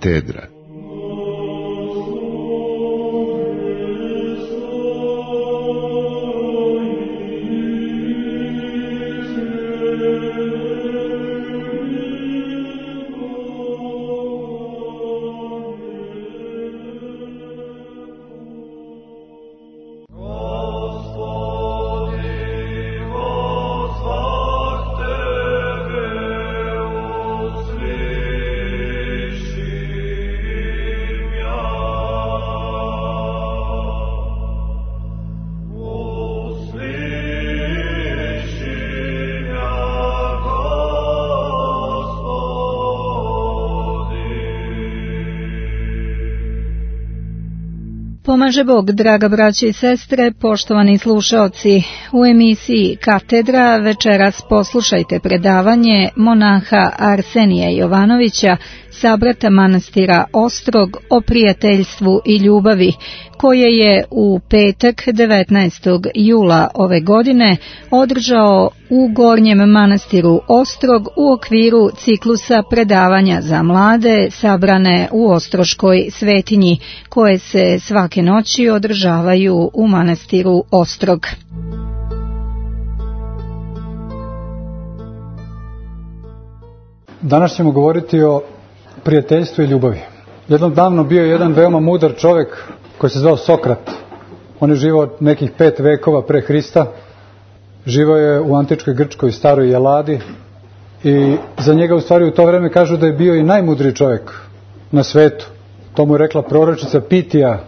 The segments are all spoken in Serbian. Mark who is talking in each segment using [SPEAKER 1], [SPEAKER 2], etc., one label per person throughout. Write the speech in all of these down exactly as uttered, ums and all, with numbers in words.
[SPEAKER 1] Katedra.
[SPEAKER 2] Pomaže Bog, draga braće i sestre, poštovani slušaoci. U emisiji Katedra večeras poslušajte predavanje monaha Arsenija Jovanovića, sabrata manastira Ostrog, o prijateljstvu i ljubavi, koje je u petak devetnaestog jula ove godine održao u Gornjem manastiru Ostrog u okviru ciklusa predavanja za mlade sabrane u Ostroškoj svetinji, koje se svake noći održavaju u manastiru Ostrog.
[SPEAKER 3] Danas ćemo govoriti o prijateljstvu i ljubavi. Jednom davno bio je jedan veoma mudar čovjek koji se zvao Sokrat. On je živao nekih pet vekova pre Hrista. Živao je u antičkoj Grčkoj staroj Jeladi i za njega u stvari u to vreme kažu da je bio i najmudriji čovjek na svetu. To mu je rekla proročica Pitija,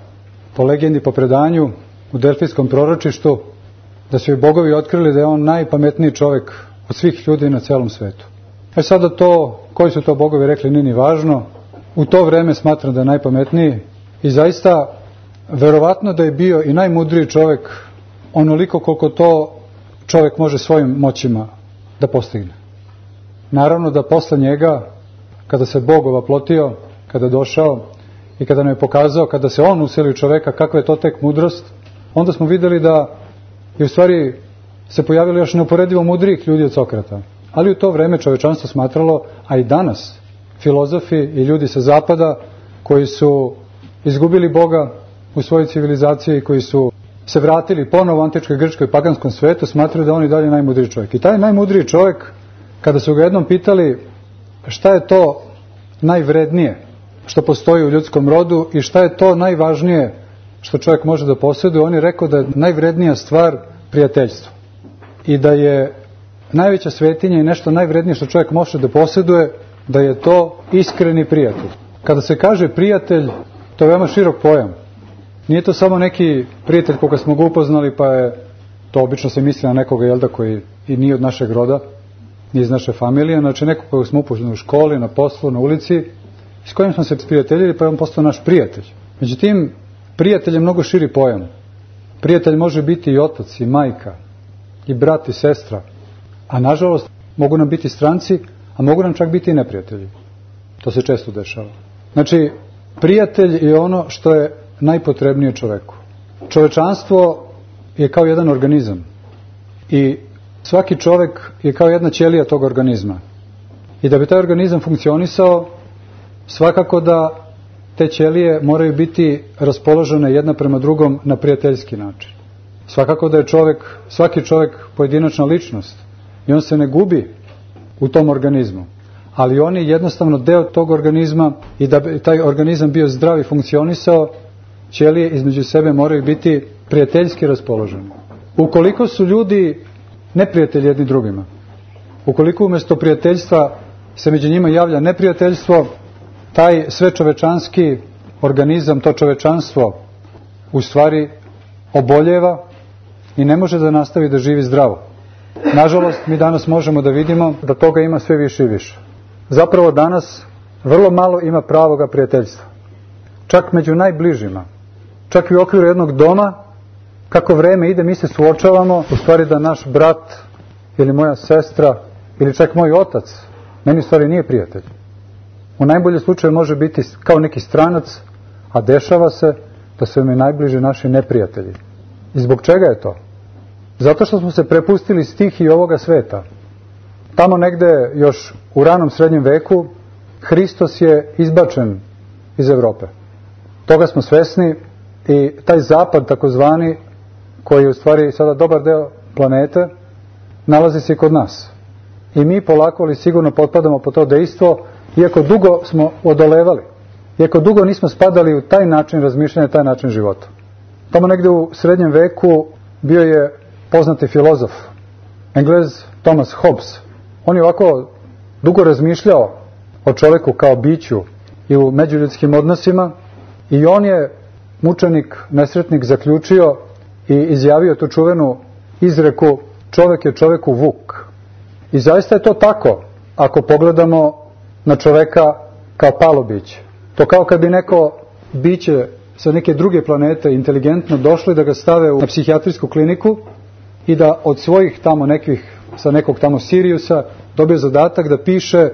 [SPEAKER 3] po legendi, po predanju u Delfijskom proročištu, da su joj bogovi otkrili da je on najpametniji čovjek od svih ljudi na celom svetu. E sada to, koji su to bogovi rekli, nije ni važno. U to vreme smatram da je najpametniji i zaista verovatno da je bio i najmudriji čovjek onoliko koliko to čovjek može svojim moćima da postigne. Naravno da posle njega, kada se Bog ovaplotio, kada je došao i kada nam je pokazao, kada se on useli u čovjeka, kakva je to tek mudrost, onda smo vidjeli da je u stvari se pojavilo još neuporedivo mudrijih ljudi od Sokrata. Ali u to vreme čovečanstvo smatralo, a i danas, filozofi i ljudi sa zapada koji su izgubili Boga u svojoj civilizaciji, koji su se vratili ponovo u antičkoj Grčkoj paganskom svetu, smatraju da on i dalje najmudriji čovjek. I taj najmudriji čovjek, kada su ga jednom pitali šta je to najvrednije što postoji u ljudskom rodu i šta je to najvažnije što čovjek može da posjeduje, on je rekao da je najvrednija stvar prijateljstvo. I da je najveća svetinja i nešto najvrednije što čovjek može da posjeduje, da je to iskreni prijatelj. Kada se kaže prijatelj, to je veoma širok pojam. Nije to samo neki prijatelj koga smo ga upoznali, pa je to obično se misli na nekoga, jel da, koji i nije od našeg roda, nije iz naše familije, znači nekog koga smo upoznali u školi, na poslu, na ulici, s kojim smo se prijateljili, pa je on postao naš prijatelj. Međutim, prijatelj je mnogo širi pojam. Prijatelj može biti i otac, i majka, i brat, i sestra. A nažalost, mogu nam biti stranci, a mogu nam čak biti i neprijatelji. To se često dešava. Znači, prijatelj je ono što je najpotrebnije čoveku. Čovečanstvo je kao jedan organizam. I svaki čovek je kao jedna ćelija tog organizma. I da bi taj organizam funkcionisao, svakako da te ćelije moraju biti raspoložene jedna prema drugom na prijateljski način. Svakako da je čovek, svaki čovek pojedinačna ličnost. I on se ne gubi u tom organizmu. Ali on je jednostavno deo tog organizma i da bi taj organizam bio zdrav i funkcionisao, ćelije između sebe moraju biti prijateljski raspoloženi. Ukoliko su ljudi neprijatelji jedni drugima, ukoliko umjesto prijateljstva se među njima javlja neprijateljstvo, taj sve čovečanski organizam, to čovečanstvo u stvari oboljeva i ne može da nastavi da živi zdravo. Nažalost, mi danas možemo da vidimo da toga ima sve više i više. Zapravo danas vrlo malo ima pravoga prijateljstva. Čak među najbližima. Čak i u okviru jednog doma, kako vreme ide, mi se suočavamo u stvari da naš brat ili moja sestra ili čak moj otac meni u stvari nije prijatelj. U najboljem slučaju može biti kao neki stranac, a dešava se da su mi najbliži naši neprijatelji. I zbog čega je to? Zato što smo se prepustili stihiji ovoga sveta. Tamo negde još u ranom srednjem veku Hristos je izbačen iz Evrope. Toga smo svesni i taj zapad takozvani, koji je u stvari sada dobar deo planete, nalazi se i kod nas. I mi polako ali sigurno potpadamo po to dejstvo, iako dugo smo odolevali, iako dugo nismo spadali u taj način razmišljanja, taj način života. Tamo negde u srednjem veku bio je poznati filozof, Englez Thomas Hobbes. On je ovako dugo razmišljao o čoveku kao biću i u međuljudskim odnosima i on je, mučenik, nesretnik, zaključio i izjavio tu čuvenu izreku: čovek je čoveku vuk. I zaista je to tako ako pogledamo na čoveka kao palo biće. To kao kad bi neko biće sa neke druge planete inteligentno došli da ga stave u psihijatrijsku kliniku i da od svojih tamo nekih, sa nekog tamo Siriusa dobije zadatak da piše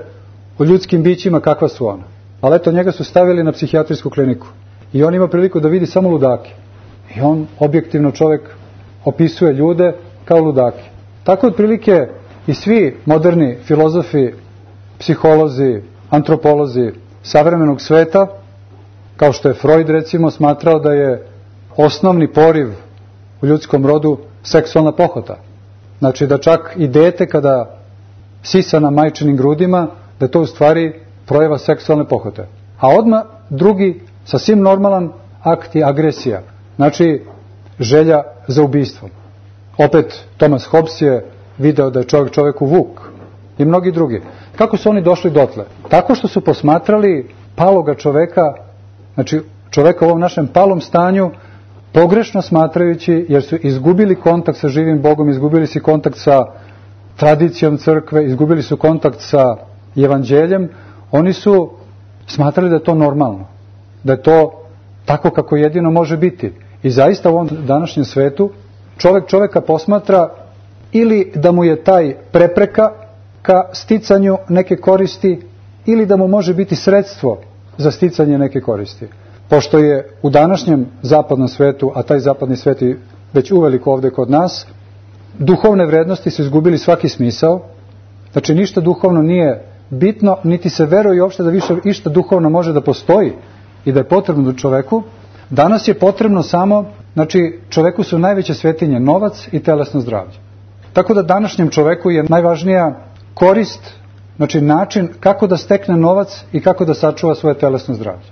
[SPEAKER 3] o ljudskim bićima kakva su ona. Ali eto, njega su stavili na psihijatrijsku kliniku i on ima priliku da vidi samo ludake. I on, objektivno čovek, opisuje ljude kao ludake. Tako otprilike i svi moderni filozofi, psiholozi, antropolozi savremenog sveta, kao što je Freud recimo smatrao da je osnovni poriv u ljudskom rodu seksualna pohota. Znači da čak i dete kada sisa na majčinim grudima, da je to u stvari projava seksualne pohote. A odmah drugi, sasvim normalan akt je agresija. Znači želja za ubistvom. Opet Thomas Hobbes je video da je čovjek čovjeku vuk i mnogi drugi. Kako su oni došli dotle? Tako što su posmatrali paloga čoveka, znači čoveka u ovom našem palom stanju, pogrešno smatrajući, jer su izgubili kontakt sa živim Bogom, izgubili su kontakt sa tradicijom crkve, izgubili su kontakt sa evanđeljem. Oni su smatrali da je to normalno, da je to tako kako jedino može biti. I zaista u ovom današnjem svetu čovek čoveka posmatra ili da mu je taj prepreka ka sticanju neke koristi, ili da mu može biti sredstvo za sticanje neke koristi. Pošto je u današnjem zapadnom svetu, a taj zapadni svet je već uveliko ovde kod nas, duhovne vrednosti su izgubili svaki smisao, znači ništa duhovno nije bitno, niti se veruje uopšte da više išta duhovno može da postoji i da je potrebno čoveku. Danas je potrebno samo, znači čoveku su najveće svetinje novac i telesno zdravlje. Tako da današnjem čoveku je najvažnija korist, znači način kako da stekne novac i kako da sačuva svoje telesno zdravlje.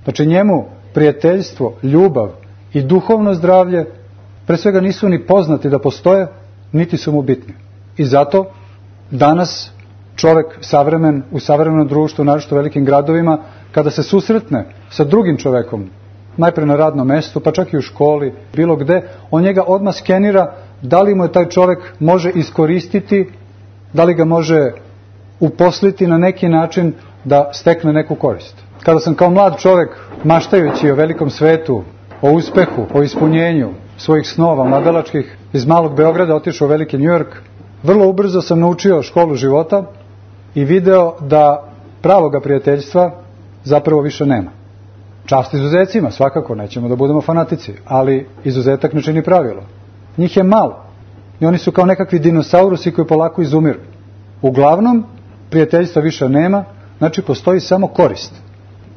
[SPEAKER 3] Znači njemu prijateljstvo, ljubav i duhovno zdravlje pre svega nisu ni poznati da postoje, niti su mu bitni. I zato danas čovek savremen, u savremenom društvu, naročito u velikim gradovima, kada se susretne sa drugim čovekom, najpre na radnom mestu, pa čak i u školi, bilo gde, on njega odmah skenira da li mu je taj čovek može iskoristiti, da li ga može uposliti na neki način da stekne neku korist. Kada sam kao mlad čovek, maštajući o velikom svetu, o uspehu, o ispunjenju svojih snova mladalačkih, iz malog Beograda otišao u veliki Njujork, vrlo ubrzo sam naučio školu života i video da pravoga prijateljstva zapravo više nema. Čast izuzecima, svakako, nećemo da budemo fanatici, ali izuzetak ne čini pravilo. Njih je malo i oni su kao nekakvi dinosaurusi koji polako izumiru. Uglavnom, prijateljstva više nema, znači postoji samo korist.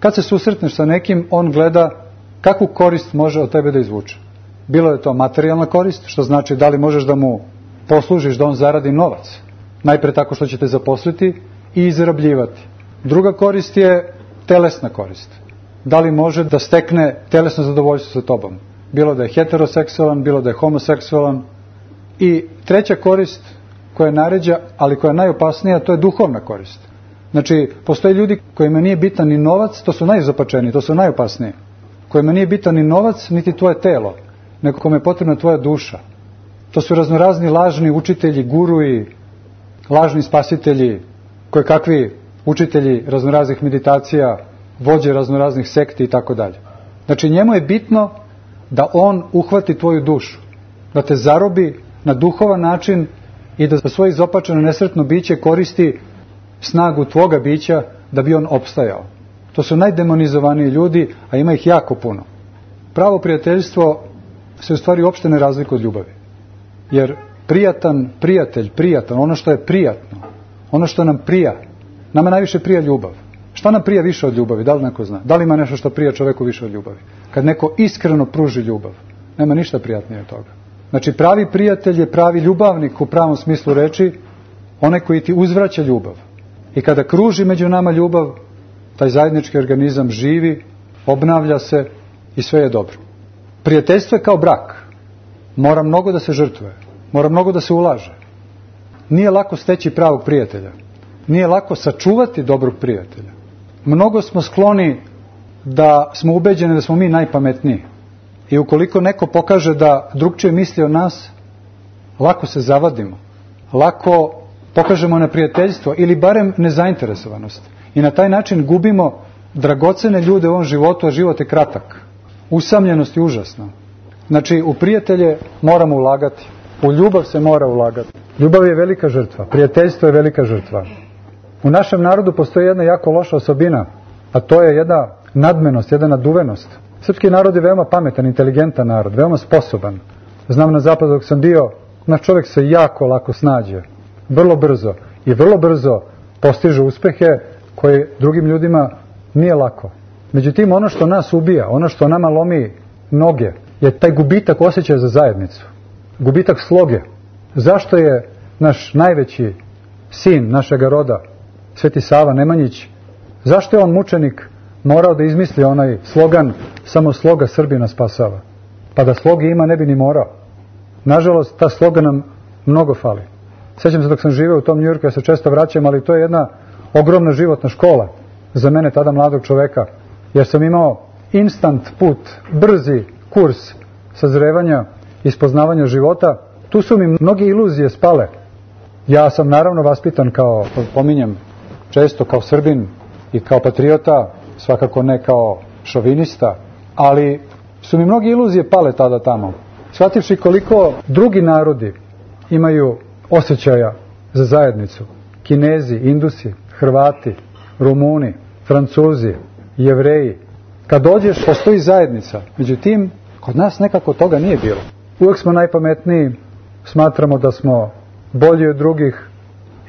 [SPEAKER 3] Kad se susretneš sa nekim, on gleda kakvu korist može od tebe da izvuče. Bilo je to materijalna korist, što znači da li možeš da mu poslužiš da on zaradi novac, najpre tako što će te zaposliti i izrabljivati. Druga korist je telesna korist. Da li može da stekne telesno zadovoljstvo sa tobom. Bilo da je heteroseksualan, bilo da je homoseksualan. I treća korist koja je naređa, ali koja je najopasnija, to je duhovna korist. Znači, postoje ljudi kojima nije bitan ni novac, to su najzapačeniji, to su najopasniji. Kojima nije bitan ni novac, niti tvoje telo, nego kome je potrebna tvoja duša. To su raznorazni lažni učitelji, guruji, lažni spasitelji, koje kakvi učitelji raznoraznih meditacija, vođe raznoraznih sekti i tako dalje. Znači, njemu je bitno da on uhvati tvoju dušu, da te zarobi na duhovan način i da za svoje izopačeno nesretno biće koristi snagu tvoga bića da bi on opstajao. To su najdemonizovaniji ljudi, a ima ih jako puno. Pravo prijateljstvo se u stvari uopšte ne razlikuje od ljubavi. Jer prijatan, prijatelj, prijatan, ono što je prijatno, ono što nam prija, nama najviše prija ljubav. Šta nam prija više od ljubavi? Da li neko zna? Da li ima nešto što prija čoveku više od ljubavi? Kad neko iskreno pruži ljubav, nema ništa prijatnije od toga. Znači, pravi prijatelj je pravi ljubavnik u pravom smislu reči, onaj koji ti uzvraća ljubav. I kada kruži među nama ljubav, taj zajednički organizam živi, obnavlja se i sve je dobro. Prijateljstvo je kao brak. Mora mnogo da se žrtvuje. Mora mnogo da se ulaže. Nije lako steći pravog prijatelja. Nije lako sačuvati dobrog prijatelja. Mnogo smo skloni da smo ubeđeni da smo mi najpametniji. I ukoliko neko pokaže da drugčije misli o nas, lako se zavadimo. Lako pokažemo neprijateljstvo ili barem nezainteresovanost. I na taj način gubimo dragocene ljude u ovom životu, a život je kratak. Usamljenost je užasna. Znači, u prijatelje moramo ulagati. U ljubav se mora ulagati. Ljubav je velika žrtva. Prijateljstvo je velika žrtva. U našem narodu postoji jedna jako loša osobina, a to je jedna nadmenost, jedna naduvenost. Srpski narod je veoma pametan, inteligentan narod, veoma sposoban. Znam na zapadu dok sam bio, naš čovjek se jako lako snađe. Vrlo brzo. I vrlo brzo postiže uspehe koje drugim ljudima nije lako. Međutim, ono što nas ubija, ono što nama lomi noge, je taj gubitak osjećaja za zajednicu. Gubitak sloge. Zašto je naš najveći sin našega roda, Sveti Sava Nemanjić, zašto je on mučenik morao da izmisli onaj slogan samo sloga Srbina spasava? Pa da sloge ima ne bi ni morao. Nažalost, ta sloga nam mnogo fali. Sjećam se dok sam živeo u tom Njujorku, ja se često vraćam, ali to je jedna ogromna životna škola za mene, tada mladog čoveka, jer sam imao instant put, brzi kurs sazrevanja i spoznavanja života. Tu su mi mnoge iluzije spale. Ja sam naravno vaspitan kao, pominjem često, kao Srbin i kao patriota, svakako ne kao šovinista, ali su mi mnoge iluzije pale tada tamo. Shvativši koliko drugi narodi imaju osjećaja za zajednicu. Kinezi, Indusi, Hrvati, Rumuni, Francuzi, Jevreji. Kad dođeš, postoji zajednica. Međutim, kod nas nekako toga nije bilo. Uvijek smo najpametniji, smatramo da smo bolji od drugih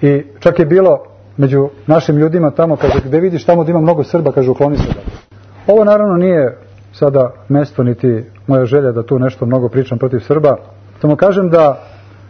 [SPEAKER 3] i čak je bilo među našim ljudima tamo, kaže, gde vidiš tamo da ima mnogo Srba, kaže, ukloni se da. Ovo naravno nije sada mesto niti moja želja da tu nešto mnogo pričam protiv Srba. Samo kažem da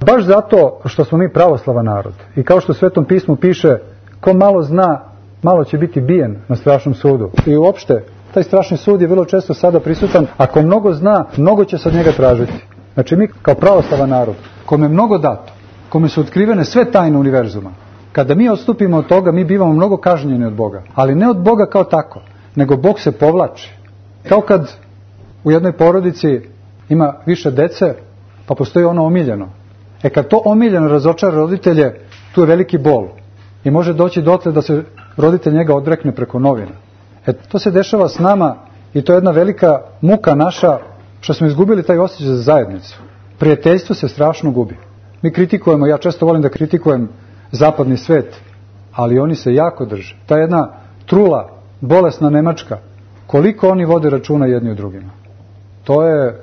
[SPEAKER 3] baš zato što smo mi pravoslavan narod i kao što u Svetom pismu piše, ko malo zna, malo će biti bijen na strašnom sudu. I uopšte, taj strašni sud je vrlo često sada prisutan. Ako mnogo zna, mnogo će se od njega tražiti. Znači mi kao pravoslavan narod, kome je mnogo dato, kome su otkrivene sve tajne univerzuma, kada mi odstupimo od toga, mi bivamo mnogo kažnjeni od Boga. Ali ne od Boga kao tako, nego Bog se povlači. Kao kad u jednoj porodici ima više dece, pa postoji ono omiljeno. E kad to omiljeno razočara roditelje, tu je veliki bol. I može doći dotle da se roditelj njega odrekne preko novina. E to se dešava s nama i to je jedna velika muka naša što smo izgubili taj osjećaj za zajednicu. Prijateljstvo se strašno gubi. Mi kritikujemo, ja često volim da kritikujem zapadni svet, ali oni se jako drže. Ta jedna trula, bolesna Nemačka, koliko oni vode računa jedni u drugima. To je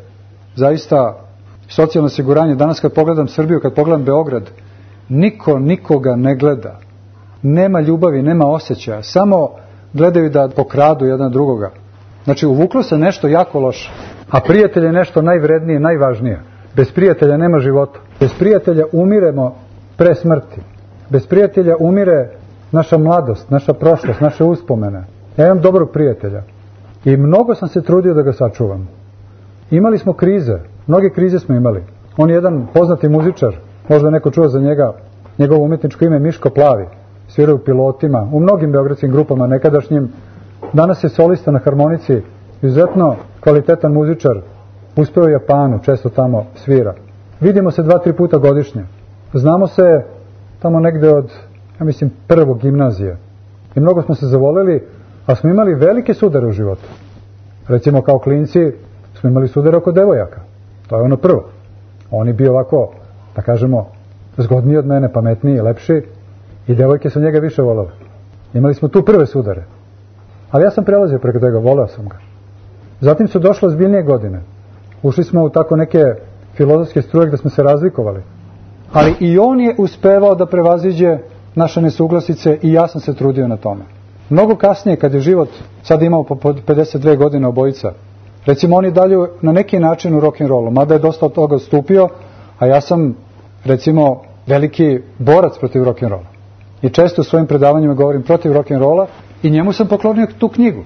[SPEAKER 3] zaista socijalno osiguranje. Danas kad pogledam Srbiju, kad pogledam Beograd, niko nikoga ne gleda. Nema ljubavi, nema osjećaja. Samo gledaju da pokradu jedan drugoga. Znači, uvuklo se nešto jako loše. A prijatelj je nešto najvrednije, najvažnije. Bez prijatelja nema života. Bez prijatelja umiremo pre smrti. Bez prijatelja umire naša mladost, naša prošlost, naše uspomene. Ja imam dobrog prijatelja. I mnogo sam se trudio da ga sačuvam. Imali smo krize. Mnoge krize smo imali. On je jedan poznati muzičar. Možda neko čuo za njega. Njegovo umjetničko ime je Miško Plavi. Svira u Pilotima, u mnogim beogradskim grupama nekadašnjim. Danas je solista na harmonici. Izuzetno kvalitetan muzičar. Uspeo u Japanu, često tamo svira. Vidimo se dva, tri puta godišnje. Znamo se tamo negde od, ja mislim, prvog gimnazije. I mnogo smo se zavoleli, a smo imali velike sudare u životu. Recimo kao klinci smo imali sudare oko devojaka. To je ono prvo. On je bio ovako, da kažemo, zgodniji od mene, pametniji, lepši. I devojke su njega više volele. Imali smo tu prve sudare. Ali ja sam prelazio preko toga, voleo sam ga. Zatim su došle ozbiljnije godine. Ušli smo u tako neke filozofske struje gde smo se razlikovali. Ali i on je uspevao da prevaziđe naše nesuglasice i ja sam se trudio na tome. Mnogo kasnije, kad je život, sad imao po pedeset dve godine obojica, recimo oni dalje na neki način u rock'n'rollu, mada je dosta od toga odstupio, a ja sam, recimo, veliki borac protiv rock'n'rolla. I često u svojim predavanjima govorim protiv rock'n'rolla i njemu sam poklonio tu knjigu.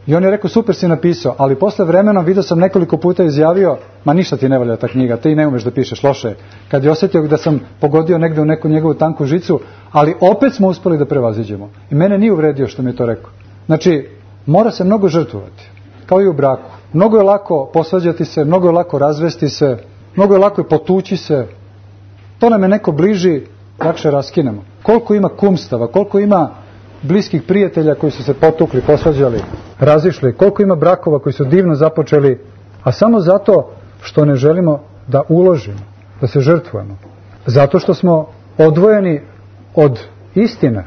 [SPEAKER 3] I on je rekao, super si napisao, ali posle vremena vidio sam nekoliko puta izjavio, ma ništa ti ne valja ta knjiga, ti ne umeš da pišeš, loše. Kad je osjetio da sam pogodio negde u neku njegovu tanku žicu, ali opet smo uspeli da prevaziđemo. I mene nije uvredio što mi je to rekao. Znači, mora se mnogo žrtvovati, kao i u braku. Mnogo je lako posvađati se, mnogo je lako razvesti se, mnogo je lako potući se. To nam je neko bliži, lakše raskinemo. Koliko ima kumstava, koliko ima bliskih prijatelja koji su se potukli, posvađali, razišli, koliko ima brakova koji su divno započeli, a samo zato što ne želimo da uložimo, da se žrtvujemo. Zato što smo odvojeni od istine.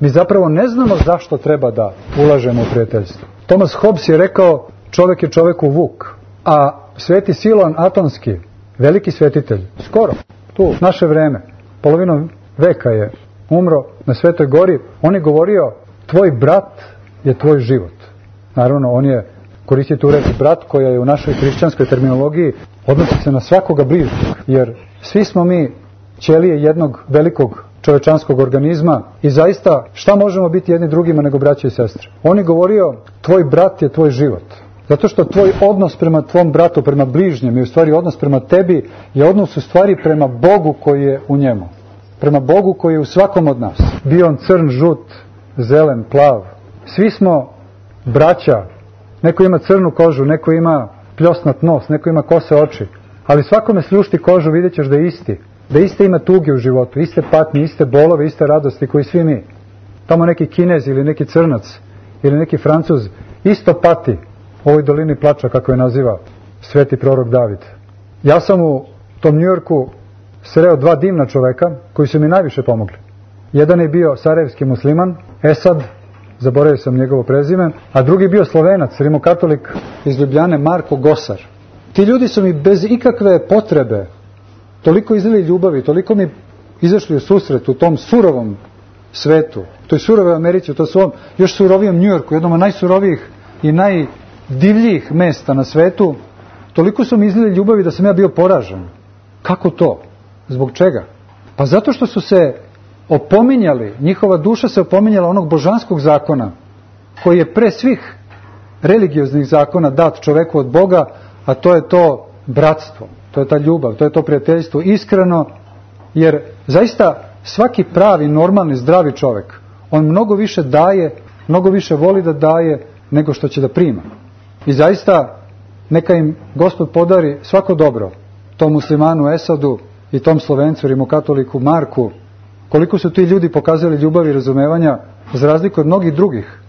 [SPEAKER 3] Mi zapravo ne znamo zašto treba da ulažemo u prijateljstvo. Thomas Hobbes je rekao, čovjek je čovjeku vuk, a sveti Siloan Atonski, veliki svetitelj, skoro, tu, naše vreme, polovinom veka je umro na Svetoj gori, on je govorio, tvoj brat je tvoj život. Naravno, on je koristio tu reč brat, koja je u našoj hrišćanskoj terminologiji odnosi se na svakoga bližnjeg, jer svi smo mi ćelije jednog velikog čovečanskog organizma i zaista šta možemo biti jedni drugima nego braće i sestre. On je govorio, tvoj brat je tvoj život. Zato što tvoj odnos prema tvom bratu, prema bližnjem i u stvari odnos prema tebi je odnos u stvari prema Bogu koji je u njemu. Prema Bogu koji je u svakom od nas. Bio on crn, žut, zelen, plav. Svi smo braća. Neko ima crnu kožu, neko ima pljosnat nos, neko ima kose oči. Ali svakome sljušti kožu, vidjet ćeš da je isti. Da iste ima tuge u životu, iste patnje, iste bolove, iste radosti koji svi mi. Tamo neki Kinez ili neki Crnac ili neki Francuz isto pati u ovoj dolini plača, kako je naziva sveti prorok David. Ja sam u tom Njujorku sreo dva divna čoveka koji su mi najviše pomogli. Jedan je bio sarajevski musliman, Esad, zaboravio sam njegovo prezime, a drugi bio Slovenac, rimokatolik iz Ljubljane, Marko Gosar. Ti ljudi su mi bez ikakve potrebe toliko izlili ljubavi, toliko mi izašli u susret u tom surovom svetu, u toj surovoj Americi, u tom svom još surovijem Njujorku, jednom od najsurovijih i najdivljijih mesta na svetu, toliko su mi izlili ljubavi da sam ja bio poražen. Kako to? Zbog čega? Pa zato što su se opominjali, njihova duša se opominjala onog božanskog zakona, koji je pre svih religioznih zakona dat čoveku od Boga, a to je to bratstvo, to je ta ljubav, to je to prijateljstvo, iskreno, jer zaista svaki pravi, normalni, zdravi čovek, on mnogo više daje, mnogo više voli da daje, nego što će da prima. I zaista, neka im Gospod podari svako dobro, tom muslimanu Esadu i tom Slovencu, rimokatoliku Marku, koliko su ti ljudi pokazali ljubav i razumevanja, za razliku od mnogih drugih,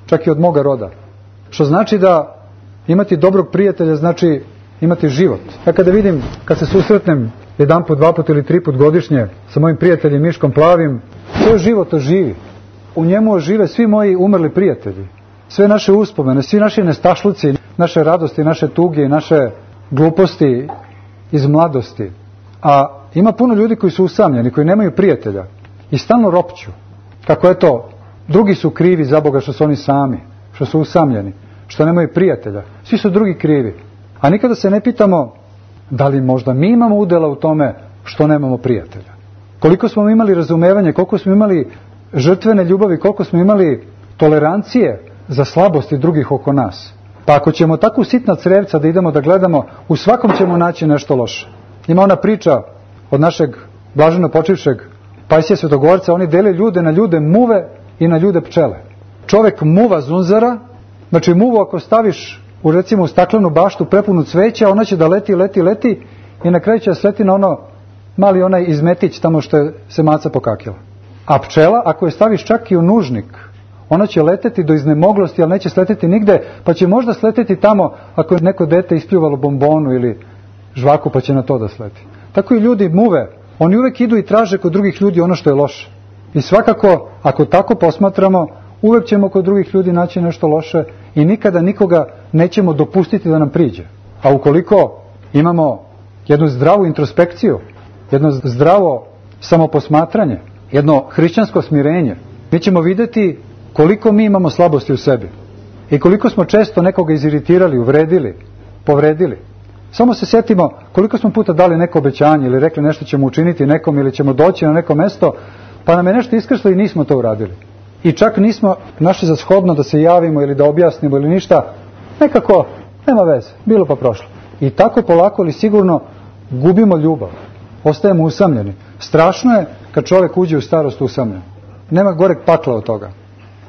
[SPEAKER 3] čak i od moga roda. Što znači da imati dobrog prijatelja znači imati život. Ja kada vidim, kad se susretnem jedan put, dva put ili tri put godišnje sa mojim prijateljem Miškom Plavim, to je život oživi. U njemu ožive svi moji umrli prijatelji. Sve naše uspomene, svi naši nestašluci, naše radosti, naše tuge i naše gluposti iz mladosti. A ima puno ljudi koji su usamljeni, koji nemaju prijatelja i stalno ropću. Kako je to? Drugi su krivi za Boga što su oni sami, što su usamljeni, što nemaju prijatelja. Svi su drugi krivi. A nikada se ne pitamo da li možda mi imamo udjela u tome što nemamo prijatelja. Koliko smo imali razumevanje, koliko smo imali žrtvene ljubavi, koliko smo imali tolerancije za slabosti drugih oko nas. Pa ako ćemo tako sitna crevca da idemo da gledamo, u svakom ćemo naći nešto loše. Ima ona priča od našeg blaženo počivšeg Pajsija Svetogorca, oni dele ljude na ljude muve i na ljude pčele. Čovek muva zunzara, znači muvu ako staviš u recimo u staklenu baštu prepunu cveća, ona će da leti, leti, leti i na kraju će sleti na ono mali onaj izmetić tamo što je se maca pokakila. A pčela, ako je staviš čak i u nužnik, ona će leteti do iznemoglosti, ali neće sleteti nigde, pa će možda sleteti tamo ako je neko dete ispljuvalo bombonu ili žvaku, pa će na to da sleti. Tako i ljudi muve, oni uvek idu i traže kod drugih ljudi ono što je loše. I svakako, ako tako posmatramo, uvek ćemo kod drugih ljudi naći nešto loše i nikada nikoga nećemo dopustiti da nam priđe. A ukoliko imamo jednu zdravu introspekciju, jedno zdravo samoposmatranje, jedno hrišćansko smirenje, mi ćemo vidjeti koliko mi imamo slabosti u sebi i koliko smo često nekoga iziritirali, uvredili, povredili. Samo se sjetimo koliko smo puta dali neko obećanje ili rekli nešto ćemo učiniti nekom ili ćemo doći na neko mesto, pa nam je nešto iskrslo i nismo to uradili. I čak nismo našli za shodno da se javimo ili da objasnimo ili ništa, nekako nema veze, bilo pa prošlo. I tako polako ili sigurno gubimo ljubav, ostajemo usamljeni. Strašno je kad čovjek uđe u starost usamljen. Nema goreg pakla od toga.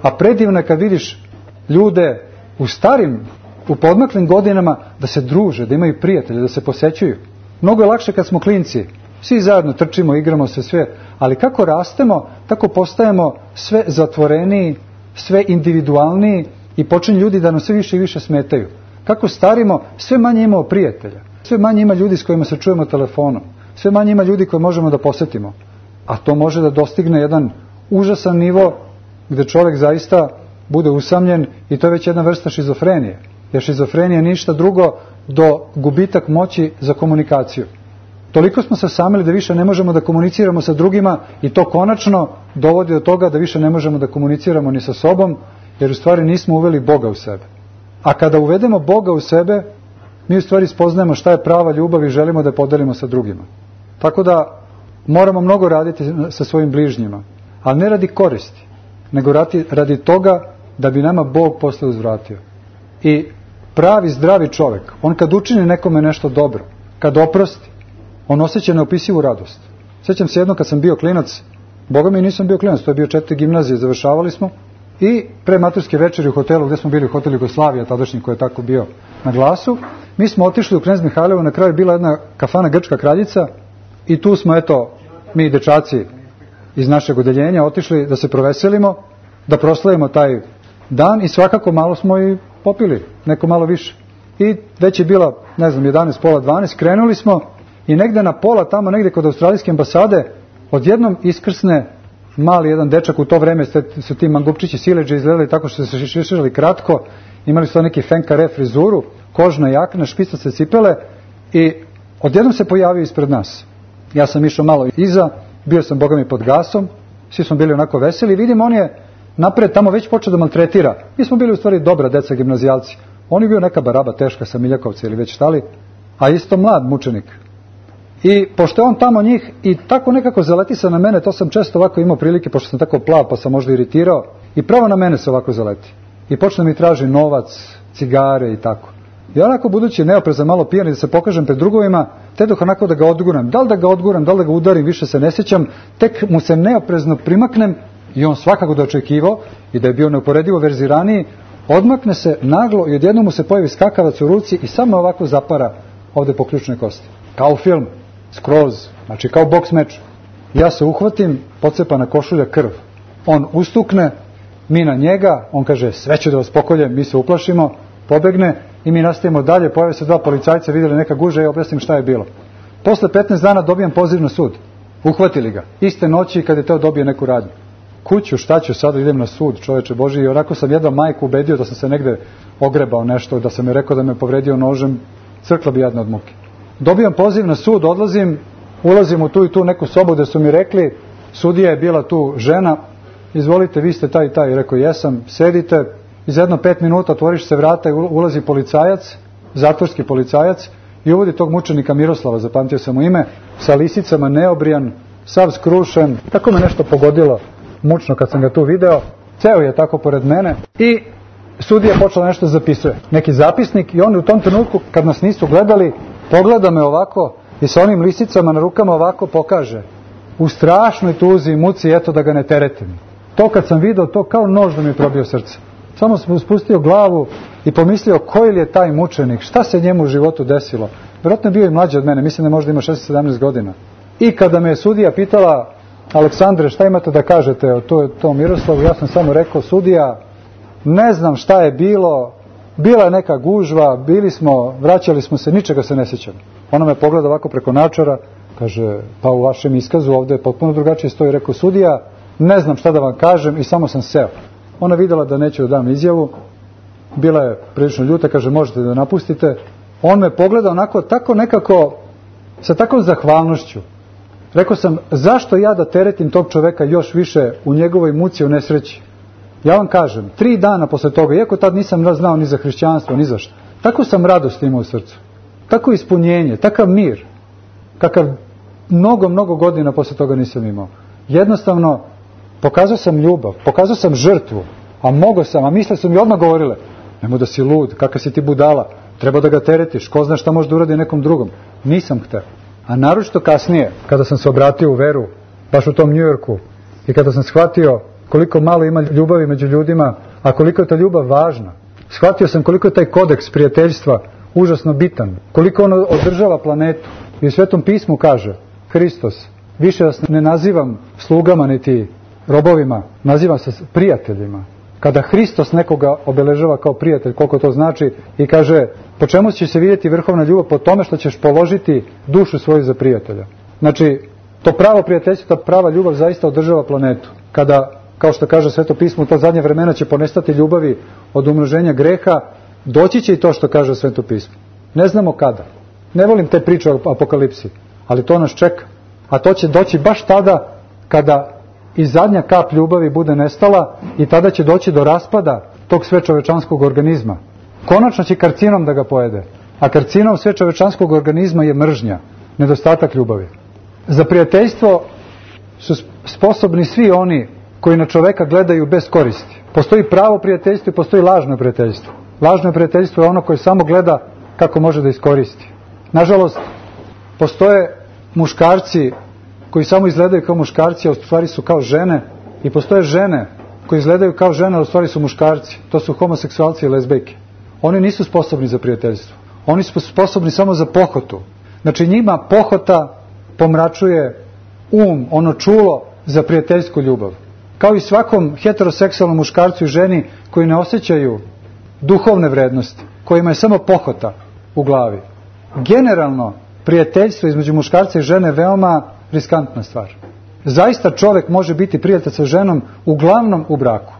[SPEAKER 3] A predivno je kad vidiš ljude u starim, u podmaklim godinama da se druže, da imaju prijatelje, da se posećuju. Mnogo je lakše kad smo klinci. Svi zajedno trčimo, igramo se sve. Ali kako rastemo, tako postajemo sve zatvoreniji, sve individualniji i počinju ljudi da nam sve više i više smetaju. Kako starimo, sve manje imamo prijatelja. Sve manje ima ljudi s kojima se čujemo telefonom. Sve manje ima ljudi koje možemo da posetimo. A to može da dostigne jedan užasan nivo gde čovjek zaista bude usamljen i to je već jedna vrsta šizofrenije. Jer šizofrenija je ništa drugo do gubitak moći za komunikaciju. Toliko smo se osamili da više ne možemo da komuniciramo sa drugima i to konačno dovodi do toga da više ne možemo da komuniciramo ni sa sobom, jer u stvari nismo uveli Boga u sebe. A kada uvedemo Boga u sebe, mi u stvari spoznajemo šta je prava ljubav i želimo da je podelimo sa drugima. Tako da moramo mnogo raditi sa svojim bližnjima, ali ne radi koristi, nego radi, radi toga da bi nama Bog posle uzvratio. I pravi zdravi čovjek, on kad učini nekome nešto dobro, kad oprosti, on osjeća neopisivu radost. Sjećam se jedno kad sam bio klinac, Boga mi nisam bio klinac, to je bio četiri gimnazije, završavali smo i pre maturske večeri u hotelu, gdje smo bili u hotelu Jugoslavija, tadašnji koji je tako bio na glasu, mi smo otišli u Knez Mihajlovo, na kraju je bila jedna kafana Grčka kraljica i tu smo, eto, mi dečaci iz našeg odeljenja otišli da se proveselimo, da proslavimo taj dan i svakako malo smo i popili, neko malo više. I već je bila, ne znam, jedanaest, pola dvanaest, krenuli smo i negde na pola, tamo negde kod australijske ambasade, odjednom iskrsne mali jedan dečak, u to vreme su ti mangupčići sileđe izgledali tako što se šiširali kratko, imali su neki fenkare frizuru, kožna jakna, špicaste cipele i odjednom se pojavio ispred nas. Ja sam išao malo iza, bio sam Boga mi pod gasom, svi smo bili onako veseli i vidim on je napred tamo već počeo da maltretira. Mi smo bili u stvari dobra deca gimnazijalci. On je bio neka baraba teška sa Miljakovca ili već štali, a isto mlad mučenik. I pošto je on tamo njih i tako nekako zaleti se na mene, to sam često ovako imao prilike, pošto sam tako plav pa sam možda iritirao, i pravo na mene se ovako zaleti. I počne mi traži novac, cigare i tako. I onako, budući neoprezan, malo pijan i da se pokažem pred drugovima, te dok onako da ga odguram. Da li da ga odguram, da li da ga udarim, više se ne sjećam, tek mu se neoprezno primaknem i on svakako da očekivao i da je bio neuporedivo verziraniji, odmakne se naglo i odjednom mu se pojavi skakavac u ruci i samo ovako zapara ovde po ključnoj kosti. Kao film, skroz, znači kao boks meč. Ja se uhvatim, pocepana košulja, krv. On ustukne, mi na njega, on kaže sve ću da vas pokoljem, mi se uplašimo, pobegne i mi nastavimo dalje, pojave se dva policajca, vidjeli neka guža i objasnim šta je bilo. Posle petnaest dana dobijam poziv na sud. Uhvatili ga. Iste noći kad je teo dobije neku radnju. Kuću, šta ću, sada idem na sud, čoveče Boži, i onako sam jedva majku ubedio da sam se negde ogrebao nešto, da sam je rekao da me povredio nožem, crkla bi jadna od muke. Dobijam poziv na sud, odlazim, ulazim u tu i tu neku sobu gde su mi rekli, sudija je bila tu žena, izvolite, vi ste taj i taj, rekao jesam, sedite, iz jedno pet minuta otvoriš se vrata i ulazi policajac, zatvorski policajac, i uvodi tog mučenika Miroslava, zapamtio sam mu ime, sa lisicama, neobrijan, sav skrušen, tako me nešto pogodilo mučno kad sam ga tu video, ceo je tako pored mene i sudija počela nešto zapisuje, neki zapisnik, i on u tom trenutku kad nas nisu gledali, pogleda me ovako i sa onim lisicama na rukama ovako pokaže, u strašnoj tuzi i muci, eto da ga ne teretim. To kad sam video, to kao nož da mi probio srce. Samo sam spustio glavu i pomislio koji li je taj mučenik, šta se njemu u životu desilo. Vjerojatno je bio i mlađi od mene, mislim da možda ima šesnaest sedamnaest godina. I kada me je sudija pitala, Aleksandre, šta imate da kažete o to, to Miroslavu, ja sam samo rekao, sudija, ne znam šta je bilo, bila je neka gužva, bili smo, vraćali smo se, ničega se ne sjećam. Ona me pogleda ovako preko načara, kaže, pa u vašem iskazu ovdje je potpuno drugačije stoji, rekao, sudija, ne znam šta da vam kažem i samo sam seo. Ona vidjela da neću da dam izjavu, bila je prilično ljuta, kaže, možete da napustite. On me pogleda onako, tako nekako, sa takvom zahvalnošću. Rekao sam, zašto ja da teretim tog čoveka još više u njegovoj muci, u nesreći? Ja vam kažem, tri dana posle toga, iako tad nisam znao ni za hrišćanstvo, ni za što, tako sam radost imao u srcu, tako ispunjenje, takav mir, kakav mnogo, mnogo godina posle toga nisam imao. Jednostavno, pokazao sam ljubav, pokazao sam žrtvu, a mogo sam, a misle su mi odmah govorile, nemoj da si lud, kakav si ti budala, treba da ga teretiš, ko zna šta može da uradi nekom drugom. Nisam hteo. A naročito kasnije, kada sam se obratio u veru, baš u tom Njujorku, i kada sam shvatio koliko malo ima ljubavi među ljudima, a koliko je ta ljubav važna, shvatio sam koliko je taj kodeks prijateljstva užasno bitan, koliko ono održava planetu. I u Svetom pismu kaže Hristos, više vas ne nazivam slugama niti robovima, nazivam se prijateljima. Kada Hristos nekoga obeležava kao prijatelj, koliko to znači, i kaže, po čemu će se vidjeti vrhovna ljubav? Po tome što ćeš položiti dušu svoju za prijatelja. Znači, to pravo prijateljstvo, ta prava ljubav zaista održava planetu. Kada, kao što kaže Sveto pismo, u to zadnje vremena će ponestati ljubavi od umnoženja greha, doći će i to što kaže Sveto pismo. Ne znamo kada. Ne volim te priče o apokalipsi, ali to nas čeka. A to će doći baš tada kada i zadnja kap ljubavi bude nestala i tada će doći do raspada tog svečovečanskog organizma. Konačno će karcinom da ga pojede. A karcinom svečovečanskog organizma je mržnja, nedostatak ljubavi. Za prijateljstvo su sposobni svi oni koji na čoveka gledaju bez koristi. Postoji pravo prijateljstvo i postoji lažno prijateljstvo. Lažno prijateljstvo je ono koje samo gleda kako može da iskoristi. Nažalost, postoje muškarci koji samo izgledaju kao muškarci, a u stvari su kao žene, i postoje žene koji izgledaju kao žene, a u stvari su muškarci. To su homoseksualci i lezbejke. Oni nisu sposobni za prijateljstvo. Oni su sposobni samo za pohotu. Znači njima pohota pomračuje um, ono čulo za prijateljsku ljubav. Kao i svakom heteroseksualnom muškarcu i ženi koji ne osjećaju duhovne vrednosti, kojima je samo pohota u glavi. Generalno, prijateljstvo između muškarca i žene je veoma riskantna stvar. Zaista čovjek može biti prijatelj sa ženom uglavnom u braku.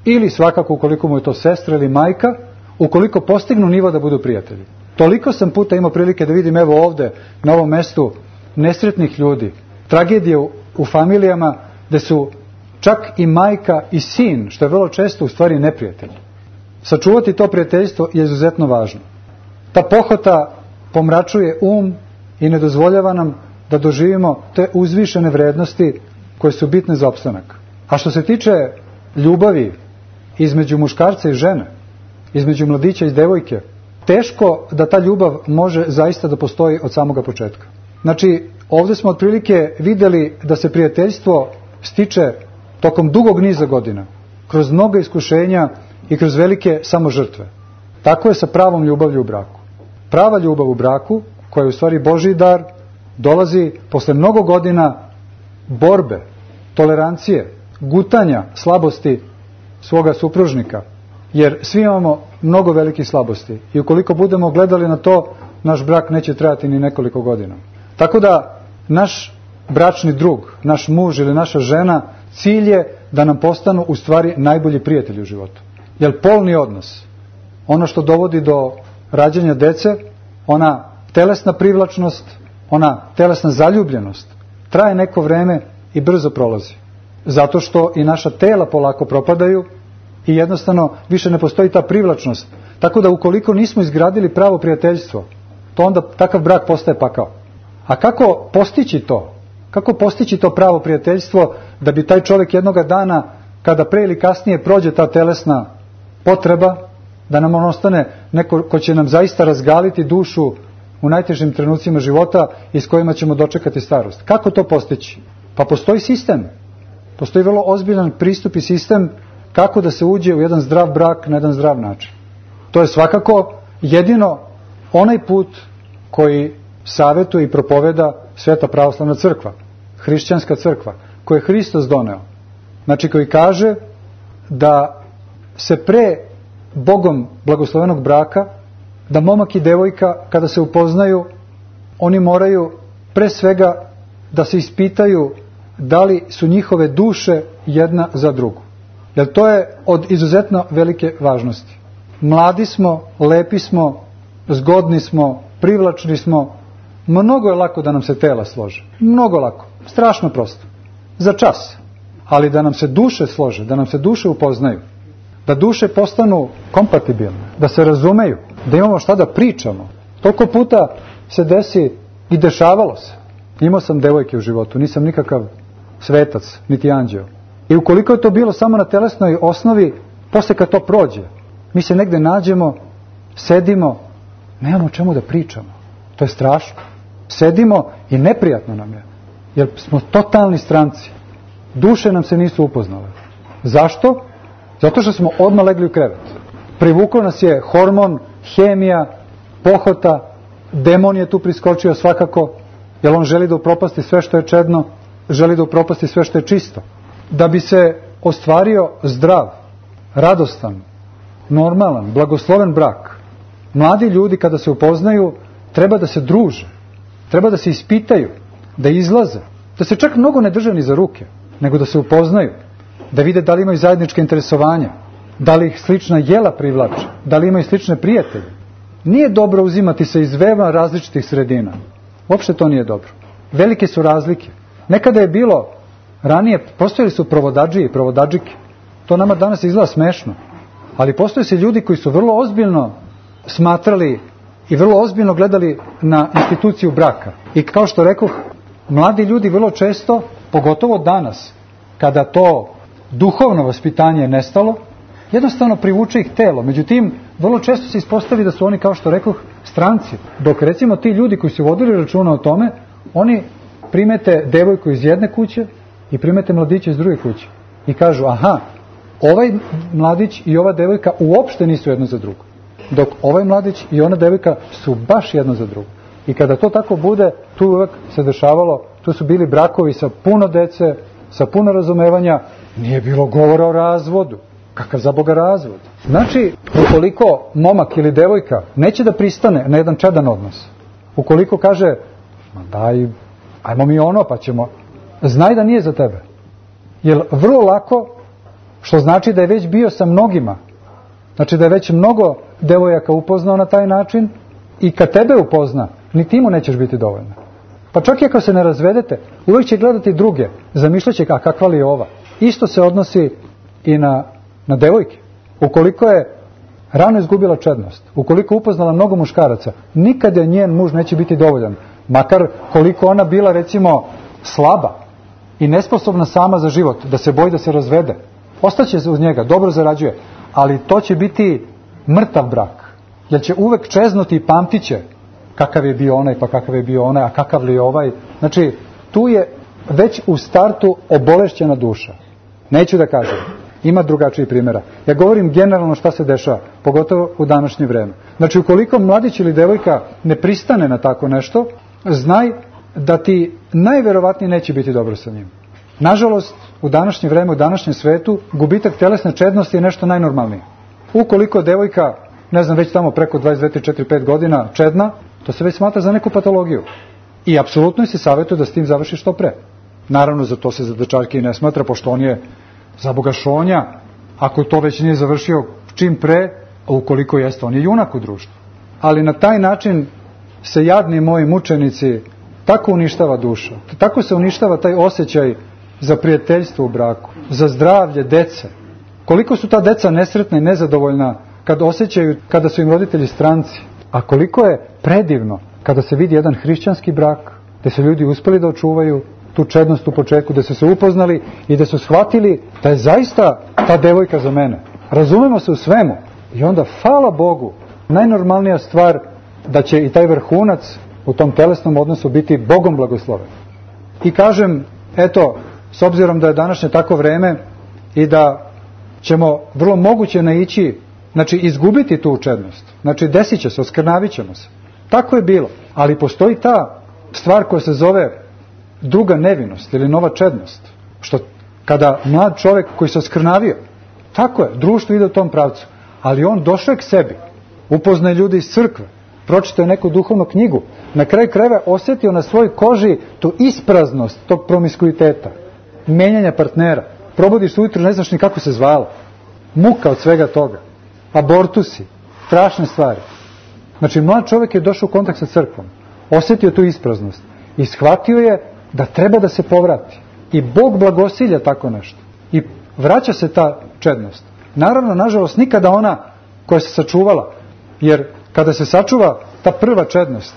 [SPEAKER 3] Ili svakako ukoliko mu je to sestra ili majka, ukoliko postignu nivo da budu prijatelji. Toliko sam puta imao prilike da vidim evo ovde, na ovom mestu, nesretnih ljudi, tragedije u, u familijama gde su čak i majka i sin, što je vrlo često u stvari neprijatelji. Sačuvati to prijateljstvo je izuzetno važno. Ta pohota pomračuje um i ne dozvoljava nam da doživimo te uzvišene vrednosti koje su bitne za opstanak. A što se tiče ljubavi između muškarca i žene, između mladića i devojke, teško da ta ljubav može zaista da postoji od samoga početka. Znači, ovdje smo otprilike vidjeli da se prijateljstvo stiče tokom dugog niza godina, kroz mnoga iskušenja i kroz velike samožrtve. Tako je sa pravom ljubavlju u braku. Prava ljubav u braku, koja je u stvari Božji dar, dolazi posle mnogo godina borbe, tolerancije, gutanja slabosti svoga supružnika. Jer svi imamo mnogo velikih slabosti. I ukoliko budemo gledali na to, naš brak neće trajati ni nekoliko godina. Tako da naš bračni drug, naš muž ili naša žena, cilj je da nam postanu u stvari najbolji prijatelji u životu. Jer polni odnos, ono što dovodi do rađanja dece, ona telesna privlačnost, ona telesna zaljubljenost, traje neko vreme i brzo prolazi. Zato što i naša tela polako propadaju i jednostavno više ne postoji ta privlačnost. Tako da ukoliko nismo izgradili pravo prijateljstvo, to onda takav brak postaje pakao. A kako postići to? Kako postići to pravo prijateljstvo da bi taj čovjek jednoga dana, kada pre ili kasnije prođe ta telesna potreba, da nam on ostane neko ko će nam zaista razgaliti dušu u najtežim trenucima života i s kojima ćemo dočekati starost. Kako to postići? Pa postoji sistem. Postoji vrlo ozbiljan pristup i sistem kako da se uđe u jedan zdrav brak na jedan zdrav način. To je svakako jedino onaj put koji savjetuje i propoveda Sveta pravoslavna crkva, hrišćanska crkva, koju je Hristos doneo. Znači koji kaže da se pre Bogom blagoslovenog braka, da momak i devojka kada se upoznaju, oni moraju pre svega da se ispitaju da li su njihove duše jedna za drugu. Jer to je od izuzetno velike važnosti. Mladi smo, lepi smo, zgodni smo, privlačni smo, mnogo je lako da nam se tela slože. Mnogo lako, strašno prosto. Za čas. ali da nam se duše slože, da nam se duše upoznaju, da duše postanu kompatibilne, da se razumeju, da imamo šta da pričamo. Toliko puta se desi i dešavalo se. Imao sam devojke u životu, nisam nikakav svetac, niti anđeo. I ukoliko je to bilo samo na telesnoj osnovi, posle kad to prođe, mi se negde nađemo, sedimo, nemamo o čemu da pričamo. To je strašno. Sedimo i neprijatno nam je, jer smo totalni stranci. Duše nam se nisu upoznale. Zašto? Zato što smo odmah legli u krevet. Privukao nas je hormon, hemija, pohota, demon je tu priskočio svakako, jer on želi da upropasti sve što je čedno, želi da upropasti sve što je čisto. Da bi se ostvario zdrav, radostan, normalan, blagosloven brak, mladi ljudi kada se upoznaju treba da se druže, treba da se ispitaju, da izlaze, da se čak mnogo ne drže ni za ruke, nego da se upoznaju, da vide da li imaju zajedničke interesovanja, da li ih slična jela privlače, da li imaju slične prijatelje. Nije dobro uzimati se iz veoma različitih sredina. Uopšte to nije dobro. Velike su razlike. Nekada je bilo, ranije postojali su provodadžije i provodadžike. To nama danas izgleda smešno. Ali postoje se ljudi koji su vrlo ozbiljno smatrali i vrlo ozbiljno gledali na instituciju braka. I kao što rekoh, mladi ljudi vrlo često, pogotovo danas, kada to duhovno vaspitanje je nestalo, jednostavno privuče ih telo. Međutim, vrlo često se ispostavi da su oni, kao što rekoh, stranci. Dok recimo ti ljudi koji su vodili računa o tome, oni primete devojku iz jedne kuće i primete mladića iz druge kuće. I kažu, aha, ovaj mladić i ova devojka uopšte nisu jedno za drugo. Dok ovaj mladić i ona devojka su baš jedno za drugo. I kada to tako bude, tu uvek se dešavalo, tu su bili brakovi sa puno dece, sa puno razumevanja, nije bilo govora o razvodu. Kakav za Boga razvod? Znači, ukoliko momak ili devojka neće da pristane na jedan čedan odnos, ukoliko kaže, ma daj, ajmo mi ono pa ćemo, znaj da nije za tebe. Jer vrlo lako, što znači da je već bio sa mnogima, znači da je već mnogo devojaka upoznao na taj način i kad tebe upozna, ni ti mu nećeš biti dovoljno. Pa čak i ako se ne razvedete, uvijek će gledati druge, zamišljaće, a kakva li je ova. Isto se odnosi i na na devojke. Ukoliko je rano izgubila čednost, ukoliko upoznala mnogo muškaraca, nikada njen muž neće biti dovoljan. Makar koliko ona bila, recimo, slaba i nesposobna sama za život, da se boji da se razvede. Ostaće uz njega, dobro zarađuje, ali to će biti mrtav brak. Jer će uvek čeznuti i pamtit će kakav je bio onaj, pa kakav je bio onaj, a kakav li je ovaj. Znači, tu je već u startu obolešćena duša. Neću da kažem. Ima drugačijih primjera. Ja govorim generalno šta se dešava, pogotovo u današnje vreme. Znači, ukoliko mladić ili devojka ne pristane na tako nešto, znaj da ti najverovatnije neće biti dobro sa njim. Nažalost, u današnje vreme, u današnjem svetu, gubitak telesne čednosti je nešto najnormalnije. Ukoliko devojka, ne znam, već tamo preko dvadeset dve, četrdeset četiri, pet godina čedna, to se već smatra za neku patologiju. I apsolutno se savjetuje da s tim završi što pre. Naravno, za to se za dečaljke i ne smatra, pošto on je za Boga šonja, ako to već nije završio čim pre, a ukoliko jeste, on je junak u društvu. Ali na taj način se jadni moji mučenici, tako uništava duša, tako se uništava taj osjećaj za prijateljstvo u braku, za zdravlje dece. Koliko su ta deca nesretna i nezadovoljna kad osjećaju, kada su im roditelji stranci, a koliko je predivno kada se vidi jedan hrišćanski brak, gde su ljudi uspeli da očuvaju tu čednost u početku, da su se upoznali i da su shvatili da je zaista ta devojka za mene. Razumemo se u svemu. I onda, hvala Bogu, najnormalnija stvar da će i taj vrhunac u tom telesnom odnosu biti Bogom blagosloven. I kažem, eto, s obzirom da je današnje tako vreme i da ćemo vrlo moguće naići, znači izgubiti tu čednost. Znači desit će se, oskrnavit ćemo se. Tako je bilo. Ali postoji ta stvar koja se zove druga nevinost ili nova čednost. Što kada mlad čovjek koji se oskrnavio, tako je, društvo ide u tom pravcu, ali on došao je k sebi, upoznaje ljudi iz crkve, pročitao je neku duhovnu knjigu, na kraju krajeva osjetio na svojoj koži tu ispraznost tog promiskuiteta, menjanja partnera. Probudiš se ujutro, ne znaš ni kako se zvala. Muka od svega toga. Abortusi, strašne stvari. Znači, mlad čovjek je došao u kontakt sa crkvom, osjetio tu ispraznost i shvatio je da treba da se povrati. I Bog blagosilja tako nešto. I vraća se ta čednost. Naravno, nažalost, nikada ona koja se sačuvala, jer kada se sačuva ta prva čednost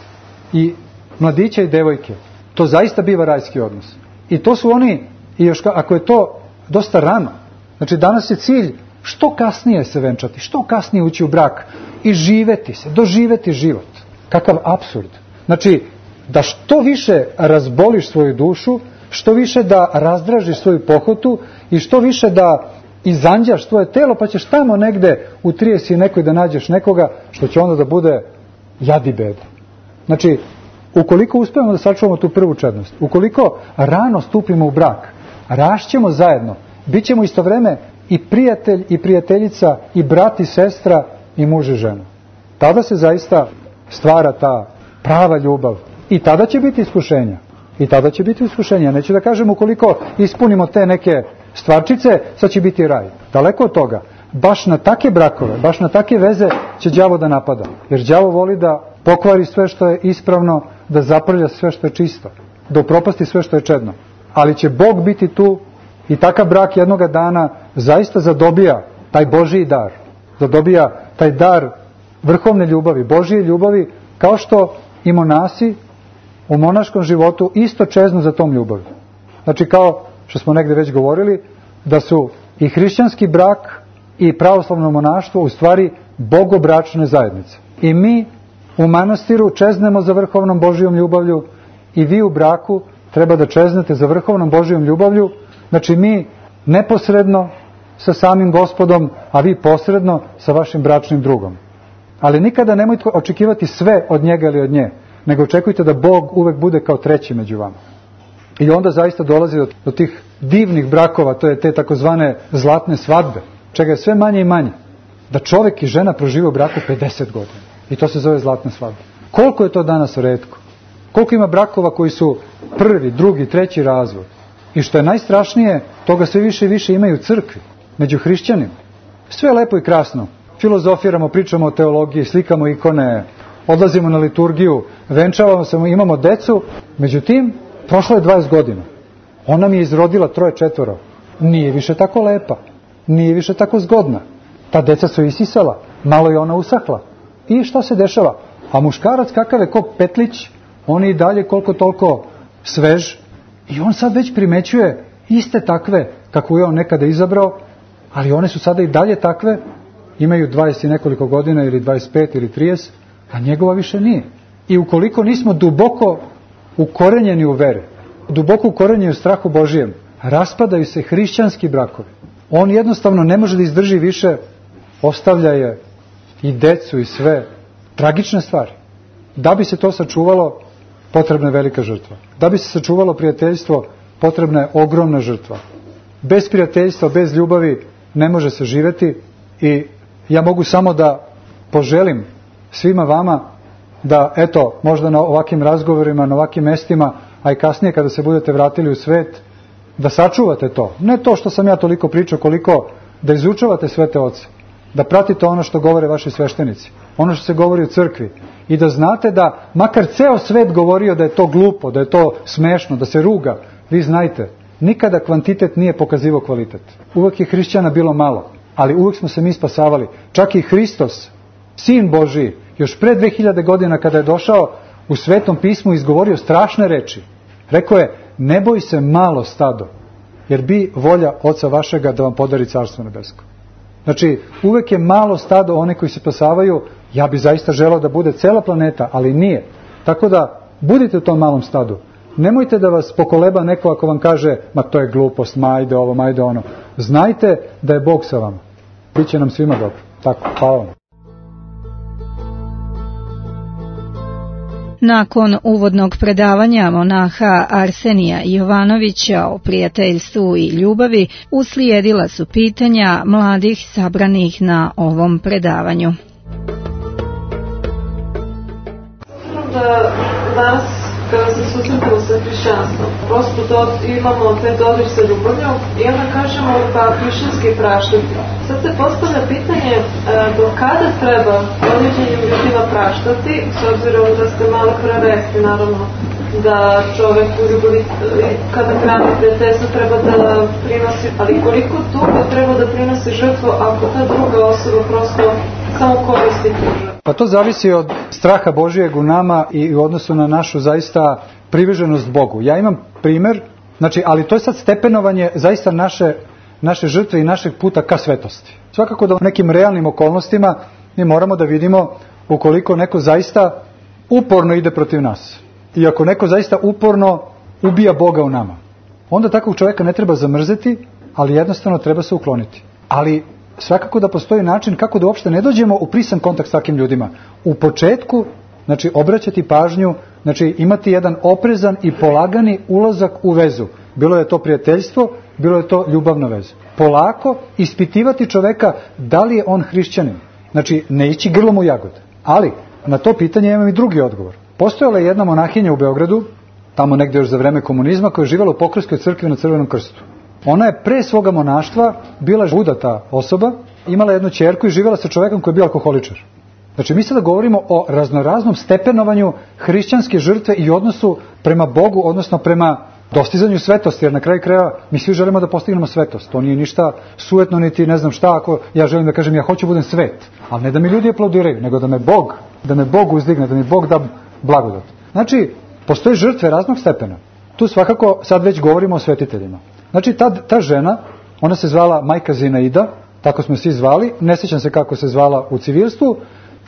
[SPEAKER 3] i mladića i devojke, to zaista biva rajski odnos. I to su oni, i još ako je to dosta rano, znači danas je cilj što kasnije se venčati, što kasnije ući u brak i živeti se, doživeti život. Kakav apsurd. Znači, da što više razboliš svoju dušu, što više da razdražiš svoju pohotu i što više da izanđaš svoje telo, pa ćeš tamo negde u trijesi nekoj da nađeš nekoga što će onda da bude jad i beda. Znači, ukoliko uspijemo da sačuvamo tu prvu čednost, ukoliko rano stupimo u brak, rašćemo zajedno, bit ćemo isto vreme i prijatelj i prijateljica i brat i sestra i muž i žena. Tada se zaista stvara ta prava ljubav i tada će biti iskušenja. I tada će biti iskušenja. Neću da kažem ukoliko ispunimo te neke stvarčice, sad će biti raj. Daleko od toga. Baš na take brakove, baš na take veze će đavo da napada. Jer đavo voli da pokvari sve što je ispravno, da zaprlja sve što je čisto, da upropasti sve što je čedno. Ali će Bog biti tu i takav brak jednoga dana zaista zadobija taj Božiji dar. Zadobija taj dar vrhovne ljubavi, Božije ljubavi, kao što i monasi u monaškom životu isto čeznu za tom ljubavi. Znači, kao što smo negde već govorili, da su i hrišćanski brak i pravoslavno monaštvo u stvari bogobračne zajednice. I mi u manastiru čeznemo za vrhovnom Božijom ljubavlju i vi u braku treba da čeznete za vrhovnom Božijom ljubavlju. Znači, mi neposredno sa samim Gospodom, a vi posredno sa vašim bračnim drugom. Ali nikada nemojte očekivati sve od njega ili od nje, nego očekujte da Bog uvek bude kao treći među vama. I onda zaista dolazi do, do tih divnih brakova, to je te takozvane zlatne svadbe, čega je sve manje i manje. Da čovjek i žena prožive u braku pedeset godina. I to se zove zlatna svadba. Koliko je to danas retko? Koliko ima brakova koji su prvi, drugi, treći razvod? I što je najstrašnije, toga sve više i više imaju u crkvi, među hrišćanima. Sve je lepo i krasno. Filozofiramo, pričamo o teologiji, slikamo ikone, odlazimo na liturgiju, venčavamo se, imamo decu. Međutim, prošlo je dvadeset godina. Ona mi je izrodila troje četvoro. Nije više tako lepa. Nije više tako zgodna. Ta deca su isisala. Malo je ona usahla. I šta se dešava? A muškarac kakav je ko petlić, on je i dalje koliko toliko svež. I on sad već primećuje iste takve kako je on nekada izabrao, ali one su sada i dalje takve, imaju dvadeset i nekoliko godina ili dvadeset pet ili trideset, a njegova više nije. I ukoliko nismo duboko ukorenjeni u veri, duboko ukorenjeni u strahu Božijem, raspadaju se hrišćanski brakovi. On jednostavno ne može da izdrži više, ostavlja je i decu i sve. Tragične stvari. Da bi se to sačuvalo, potrebna je velika žrtva. Da bi se sačuvalo prijateljstvo, potrebna je ogromna žrtva. Bez prijateljstva, bez ljubavi ne može se živeti i ja mogu samo da poželim svima vama da, eto, možda na ovakvim razgovorima, na ovakvim mestima, a i kasnije kada se budete vratili u svet, da sačuvate to. Ne to što sam ja toliko pričao, koliko da izučavate svete oce, da pratite ono što govore vaši sveštenici, ono što se govori u crkvi i da znate da makar ceo svet govorio da je to glupo, da je to smešno, da se ruga, vi znajte, nikada kvantitet nije pokazivao kvalitet. Uvek je hrišćana bilo malo, ali uvek smo se mi spasavali. Čak i Hristos, Sin Božiji, još pre dve hiljade godina kada je došao, u Svetom pismu izgovorio strašne reči. Rekao je, ne boj se malo stado, jer bi volja Oca vašega da vam podari Carstvo nebesko. Znači, uvek je malo stado one koji se spasavaju. Ja bi zaista želeo da bude cela planeta, ali nije. Tako da, budite u tom malom stadu. Nemojte da vas pokoleba neko ako vam kaže, ma to je glupost, majde ovo, majde ono. Znajte da je Bog sa vama. Biće nam svima dobro. Tako, hvala vam.
[SPEAKER 2] Nakon uvodnog predavanja monaha Arsenija Jovanovića o prijateljstvu i ljubavi, uslijedila su pitanja mladih sabranih na ovom predavanju.
[SPEAKER 1] Da danas kada se susretamo sa hrišćanstvom. Prosto do, imamo te dodir sa ljubavljom i onda kažemo pa hrišćanski praštati. Sad se postavlja pitanje e, do kada treba određenim ljudima praštati, s obzirom da ste malo pre rekli, naravno, da čovek u ljubavi, kada hrani prijateljstvo, treba da prinosi, ali koliko dugo treba da prinosi žrtvu ako ta druga osoba prosto samo koristi tu žrtvu?
[SPEAKER 3] Pa to zavisi od straha Božijeg u nama i u odnosu na našu zaista privrženost Bogu. Ja imam primer, znači, ali to je sad stepenovanje zaista naše, naše žrtve i našeg puta ka svetosti. Svakako da u nekim realnim okolnostima mi moramo da vidimo ukoliko neko zaista uporno ide protiv nas. I ako neko zaista uporno ubija Boga u nama, onda takvog čovjeka ne treba zamrzeti, ali jednostavno treba se ukloniti. Ali svakako da postoji način kako da uopšte ne dođemo u prisan kontakt s takvim ljudima. U početku, znači, obraćati pažnju, znači, imati jedan oprezan i polagani ulazak u vezu. Bilo je to prijateljstvo, bilo je to ljubavna veza. Polako ispitivati čoveka da li je on hrišćanin. Znači, ne ići grlom u jagode. Ali, na to pitanje imam i drugi odgovor. Postojala je jedna monahinja u Beogradu, tamo negdje još za vreme komunizma, koja je živjela u Pokrovskoj crkvi na Crvenom krstu. Ona je pre svoga monaštva bila udata osoba, imala jednu ćerku i živjela sa čovjekom koji je bio alkoholičar. Znači, mi sada govorimo o raznoraznom stepenovanju hrišćanske žrtve i odnosu prema Bogu, odnosno prema dostizanju svetosti, jer na kraju krajeva mi svi želimo da postignemo svetost. To nije ništa sujetno, niti ne znam šta, ako ja želim da kažem ja hoću budem svet, ali ne da mi ljudi aplaudiraju, nego da me Bog, da me Bog uzdigne, da mi Bog da blagodat. Znači, postoje žrtve raznog stepena. Tu svakako sad već govorimo o svetiteljima. Znači, ta, ta žena, ona se zvala majka Zinaida, tako smo svi zvali, ne sjećam se kako se zvala u civilstvu,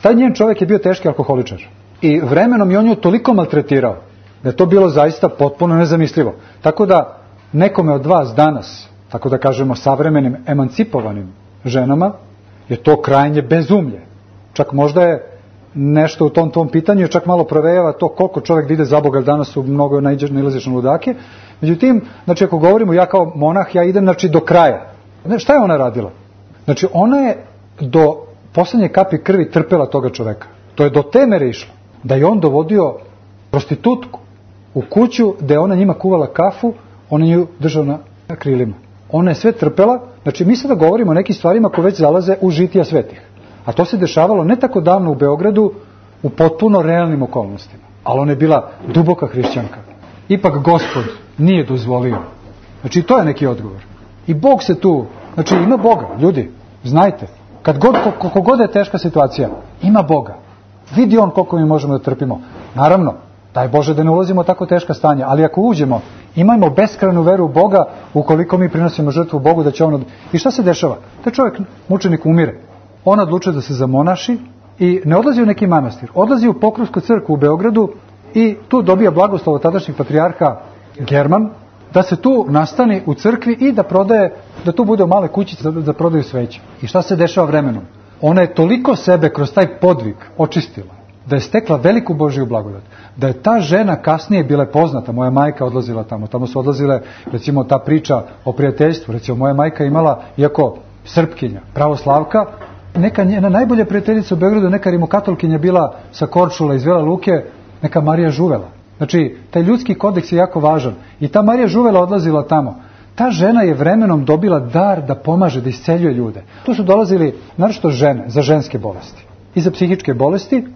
[SPEAKER 3] taj njen čovjek je bio teški alkoholičar. I vremenom je on nju toliko maltretirao, da je to bilo zaista potpuno nezamislivo. Tako da, nekome od vas danas, tako da kažemo savremenim emancipovanim ženama, je to krajnje bezumlje. Čak možda je nešto u tom tom pitanju, čak malo provejava to koliko čovjek ide za Boga, danas su mnogo nailaziš na ludake. Međutim, znači, ako govorimo, ja kao monah, ja idem, znači, do kraja. Ne, šta je ona radila? Znači, ona je do posljednje kapi krvi trpela toga čoveka. To je do te mere išlo da je on dovodio prostitutku u kuću gde je ona njima kuvala kafu, ona nju držao na krilima. Ona je sve trpela. Znači, mi sada govorimo o nekim stvarima koje već zalaze u žitija svetih. A to se dešavalo ne tako davno u Beogradu u potpuno realnim okolnostima. Ali ona je bila duboka hrišćanka. Ipak Gospod nije dozvolio. Znači, to je neki odgovor. I Bog se tu, znači, ima Boga, ljudi, znajte. Kad god, koliko god je teška situacija, ima Boga. Vidi on koliko mi možemo da trpimo. Naravno, daj Bože da ne ulazimo u tako teška stanja, ali ako uđemo, imajmo beskrajnu veru u Boga, ukoliko mi prinosimo žrtvu Bogu, da će on... Od... I šta se dešava? Taj čovjek, mučenik, umire. On odlučuje da se zamonaši i ne odlazi u neki manastir. Odlazi u Pokrovsku crkvu u Beogradu i tu dobija blagoslov od tadašnjeg patrijarha German, da se tu nastani u crkvi i da prodaje, da tu bude u male kućice da prodaju sveće. I šta se dešava vremenom? Ona je toliko sebe kroz taj podvig očistila, da je stekla veliku Božju blagodat. Da je ta žena kasnije bila poznata, moja majka odlazila tamo, tamo su odlazile, recimo, ta priča o prijateljstvu. Recimo, moja majka imala, iako Srpkinja, pravoslavka, neka njena najbolja prijateljica u Beogradu, neka rimokatolkinja bila sa Korčula iz Vela Luke, neka Marija Žuvela. Znači, taj ljudski kodeks je jako važan. I ta Marija Žuvela odlazila tamo. Ta žena je vremenom dobila dar da pomaže, da isceljuje ljude. Tu su dolazili, naročito žene, za ženske bolesti i za psihičke bolesti.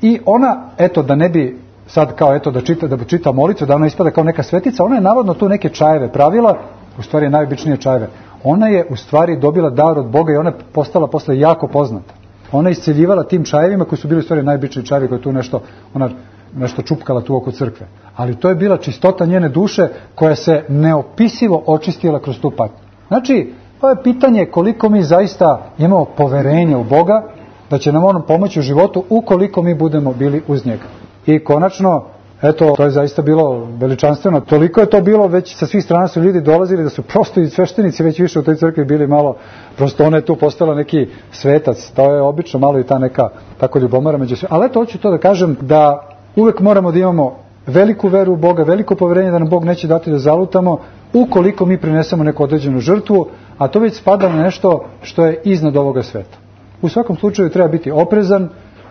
[SPEAKER 3] I ona, eto, da ne bi sad kao, eto, da čita, da bi čita molitvu, da ona ispada kao neka svetica, ona je navodno tu neke čajeve pravila, u stvari najobičnije čajeve. Ona je u stvari dobila dar od Boga i ona je postala posle jako poznata. Ona je isceljivala tim čajevima koji su bili u stvari najobičniji čajevi koji tu nešto, ona nešto čupkala tu oko crkve. Ali to je bila čistota njene duše koja se neopisivo očistila kroz tu patnju. Znači, to je pitanje koliko mi zaista imamo poverenja u Boga, da će nam on pomoći u životu ukoliko mi budemo bili uz njega. I konačno, eto, to je zaista bilo veličanstveno. Toliko je to bilo, već sa svih strana su ljudi dolazili da su prosto i sveštenici već više u toj crkvi bili malo, prosto ona je tu postala neki svetac. To je obično malo i ta neka tako ljubomora među sve. Ali eto, hoću to da kažem da uvek moramo da imamo veliku veru u Boga, veliko poverenje da nam Bog neće dati da zalutamo ukoliko mi prinesemo neku određenu žrtvu, a to već spada na nešto što je iznad ovoga sveta. U svakom slučaju treba biti oprezan.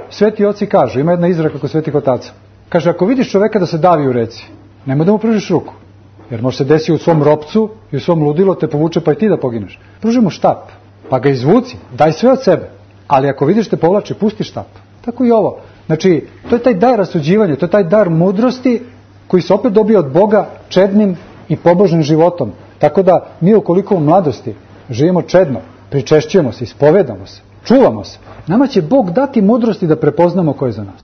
[SPEAKER 3] Sveti oci kažu, ima jedna izreka kod svetih otaca, Kaže, ako vidiš čoveka da se davi u reci, nemoj da mu pružiš ruku. Jer može se desiti u svom ropcu i u svom ludilu te povuče pa i ti da pogineš. Pruži mu štap, pa ga izvuci, daj sve od sebe. Ali ako vidiš te povlači, pusti štap. Tako i ovo. Znači, to je taj dar rasuđivanja, to je taj dar mudrosti koji se opet dobije od Boga čednim i pobožnim životom. Tako da mi ukoliko u mladosti živimo čedno, pričešćujemo se, ispovedamo se, čuvamo se, nama će Bog dati mudrosti da prepoznamo ko je za nas.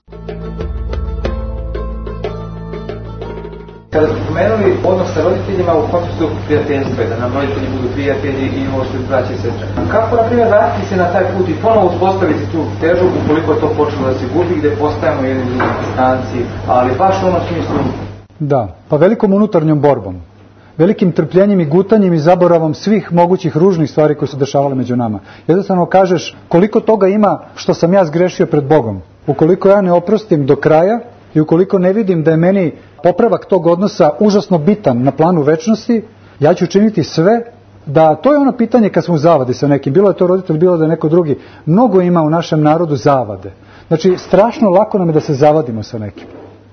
[SPEAKER 4] Kada ste pomenuli odnos sa roditeljima u kontekstu prijateljstva, da nam roditelji budu prijatelji i ovo što je braće i sestre. Kako, na primjer, vratiti se na taj put i ponovo uspostaviti tu težu ukoliko je to počelo da se gubi, gde postajemo jedni drugi distanci, ali baš u onom smislu...
[SPEAKER 3] Da, pa velikom unutarnjom borbom, velikim trpljenjem i gutanjem i zaboravom svih mogućih ružnih stvari koje su dešavale među nama. Jednostavno kažeš koliko toga ima što sam ja zgrešio pred Bogom. Ukoliko ja ne oprostim do kraja i ukoliko ne vidim da je meni popravak tog odnosa užasno bitan na planu večnosti, ja ću učiniti sve da, to je ono pitanje kad smo u zavadi sa nekim, bilo je to roditelj, bilo da je neko drugi, mnogo ima u našem narodu zavade. Znači, strašno lako nam je da se zavadimo sa nekim.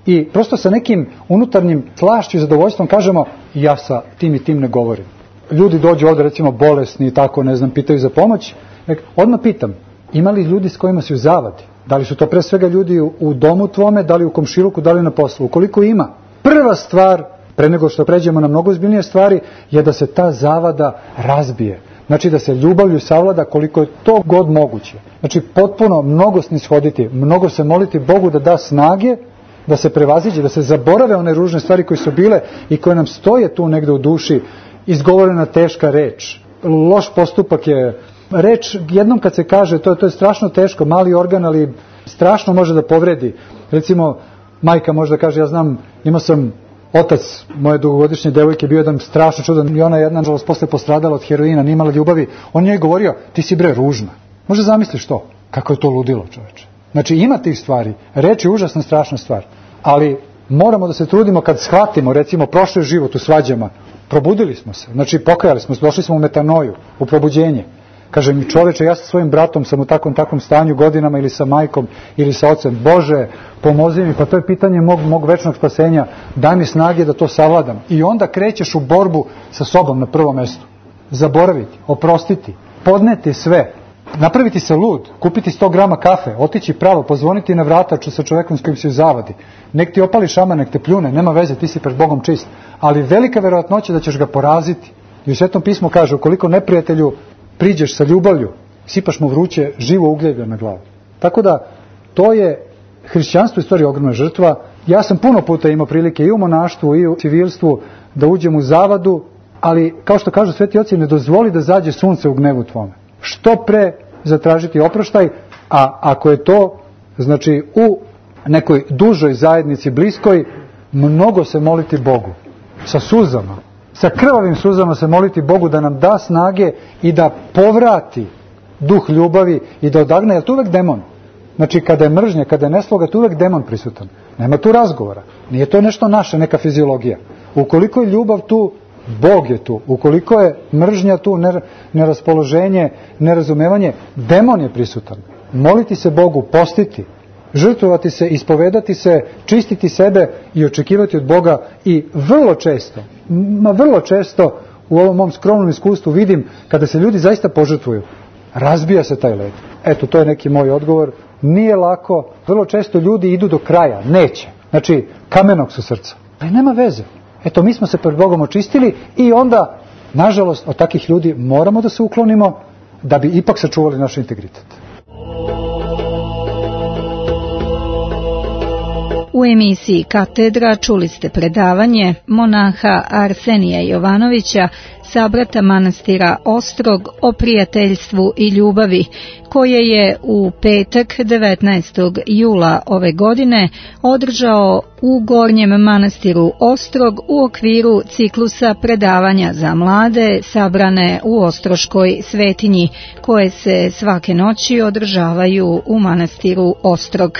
[SPEAKER 3] I prosto sa nekim unutarnjim slašću i zadovoljstvom kažemo, ja sa tim i tim ne govorim. Ljudi dođu ovdje, recimo, bolesni i tako, ne znam, pitaju za pomoć. Odmah pitam, ima li ljudi s kojima si u zavadi? Da li su to pre svega ljudi u domu tvome, da li u komšiluku, da li na poslu? Ukoliko ima, prva stvar, pre nego što pređemo na mnogo ozbiljnije stvari, je da se ta zavada razbije. Znači da se ljubavlju savlada koliko je to god moguće. Znači potpuno mnogo snishoditi, mnogo se moliti Bogu da da snage, da se prevaziđe, da se zaborave one ružne stvari koje su bile i koje nam stoje tu negde u duši, izgovorena teška reč. Loš postupak je reč, jednom kad se kaže, to je, to je strašno teško, mali organ, ali strašno može da povredi. Recimo, majka može da kaže, ja znam, imao sam otac moje dugogodišnje devojke, bio jedan strašno čudan i ona jedna, nažalost, posle postradala od heroina, nije imala ljubavi. On njoj govorio, ti si bre ružna. Može zamisliš to? Kako je to ludilo, čoveče. Znači, ima tih stvari. Reč je užasna, strašna stvar. Ali moramo da se trudimo kad shvatimo, recimo, prošli život u svađama. Probudili smo se. Znači, pokajali smo se, došli smo u metanoju, u probuđenje. Kaže mi, čoveče, ja sa svojim bratom sam u takvom takvom stanju godinama ili sa majkom ili sa ocem. Bože, pomozi mi, pa to je pitanje mog, mog večnog spasenja. Daj mi snage da to savladam. I onda krećeš u borbu sa sobom na prvom mestu. Zaboraviti, oprostiti, podneti sve. Napraviti se lud, kupiti sto grama kafe, otići pravo, pozvoniti na vrata sa čovekom s kojim si u zavadi. Nek ti opali šamar, nek te pljune, nema veze, ti si pred Bogom čist. Ali velika verovatnoća da ćeš ga poraziti. I u Svetom pismu kaže, ukoliko neprijatelju priđeš sa ljubavlju, sipaš mu vruće živo ugljeblje na glavu. Tako da, to je hrišćanstvo u stvari ogromna žrtva. Ja sam puno puta imao prilike i u monaštvu i u civilstvu da uđem u zavadu, ali kao što kažu sveti oci, ne dozvoli da zađe sunce u gnevu tvome. Što pre zatražiti oproštaj, a ako je to, znači u nekoj dužoj zajednici bliskoj, mnogo se moliti Bogu, sa suzama, sa krvavim suzama se moliti Bogu da nam da snage i da povrati duh ljubavi i da odagne, jer to uvek demon. Znači kada je mržnja, kada je nesloga, to uvek demon prisutan. Nema tu razgovora, nije to nešto naše, neka fiziologija. Ukoliko je ljubav tu, Bog je tu. Ukoliko je mržnja tu, neraspoloženje, nerazumevanje, demon je prisutan. Moliti se Bogu, postiti, žrtvovati se, ispovedati se, čistiti sebe i očekivati od Boga. I vrlo često, ma vrlo često u ovom mom skromnom iskustvu vidim kada se ljudi zaista požrtvuju, razbija se taj led. Eto, to je neki moj odgovor. Nije lako, vrlo često ljudi idu do kraja, neće. Znači, kamenog su srca. Ali nema veze. Eto, mi smo se pred Bogom očistili i onda, nažalost, od takih ljudi moramo da se uklonimo da bi ipak sačuvali naš integritet.
[SPEAKER 2] U emisiji Katedra čuli ste predavanje monaha Arsenija Jovanovića, sabrata manastira Ostrog, o prijateljstvu i ljubavi, koje je u petak devetnaestog jula ove godine održao u Gornjem manastiru Ostrog u okviru ciklusa predavanja za mlade sabrane u Ostroškoj svetinji, koje se svake noći održavaju u manastiru Ostrog.